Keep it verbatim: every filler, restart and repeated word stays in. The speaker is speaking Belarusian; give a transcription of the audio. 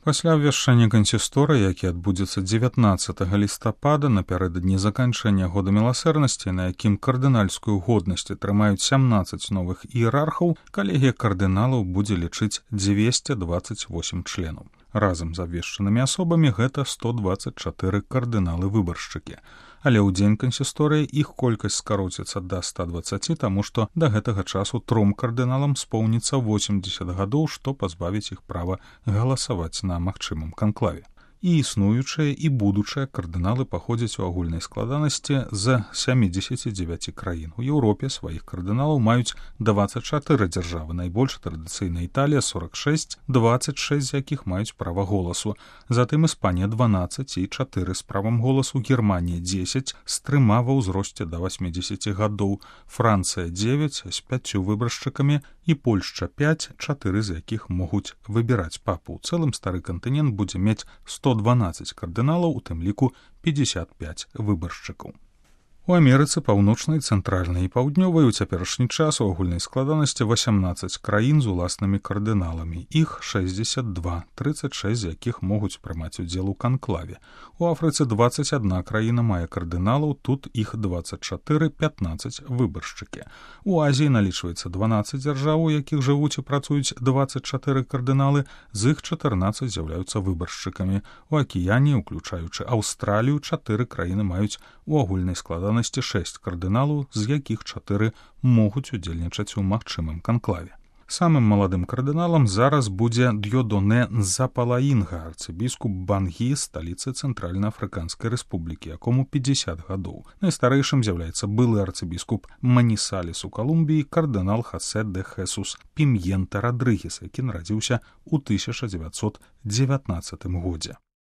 Пасля абвяшчання кансісторыі, які адбудзецца дзевятнаццатага лістапада напярэдадні заканчэння года міласэрнасці, на якім кардынальскую годнасць атрымаюць сямнаццаць новых іерархаў, калегія кардыналаў будзе лічыць дзвесце дваццаць восем членаў. Разам з абвешчанымі асобамі гэта сто дваццаць чатыры кардыналы-выбаршчыкі. Але ў дзень кансісторыі іх колькасць скароціцца да ста дваццаці, таму што да гэтага часу тром кардыналам споўніцца восемдзесят гадоў, што пазбавіць іх права галасаваць на магчымым канклаве. І існуючыя і будучыя кардыналы паходзяць у агульнай складанасці з сямідзесяці дзевяці краін. У Еўропе сваіх кардыналаў маюць дваццаць чатыры дзяржавы, найбольш традыцыйна Італія сорок шэсць, дваццаць шэсць з якіх маюць права голасу. Затым Іспанія дванаццаць і чатыры з правам голасу, Германія дзесяць з трыма ва ўзросце да васьмідзесяці гадоў, Францыя дзевяць з пяццю выбаршчыкамі і Польшча пяць, чатыры з якіх могуць выбіраць папу. У цэлым стары кантынент будзе мець сто дванаццаць кардыналаў, у тым ліку пятьдесят пять выбаршчыкаў. У Амерыцы паўночнай, цэнтральнай і паўднёвай у цяперашні час у агульнай складанасці васямнаццаць краін з уласнымі кардыналамі. Іх шэсцьдзесят два, трыццаць шэсць з якіх могуць прымаць удзел у канклаве. У Афрыцы дваццаць адна краіна мае кардыналаў, тут іх дваццаць чатыры, пятнаццаць выбаршчыкі. У Азіі налічваецца дванаццаць дзяржаў, у якіх жывуць і працуюць дваццаць чатыры кардыналы, з іх чатырнаццаць з'яўляюцца выбаршчыкамі. У Акіяне, уключаючы Аўстралію, чатыры краіны маюць у агульнай складанасці шэсць кардыналаў, з якіх чатыры могуць удзельнічаць у магчымым канклаве. Самым маладым кардыналам зараз будзе Д'ёдонэ Нзапалаінга, арцыбіскуп Бангі, сталіцы Цэнтральна-Афрыканскай рэспублікі, якому пятьдесят гадоў. Найстарэйшым з'яўляецца былы арцыбіскуп Манісалес у Калумбіі, кардынал Хасе де Хесус Пім'ента Радрыгес, які нарадзіўся ў тысяча дзевяцьсот дзевятнаццатым годзе.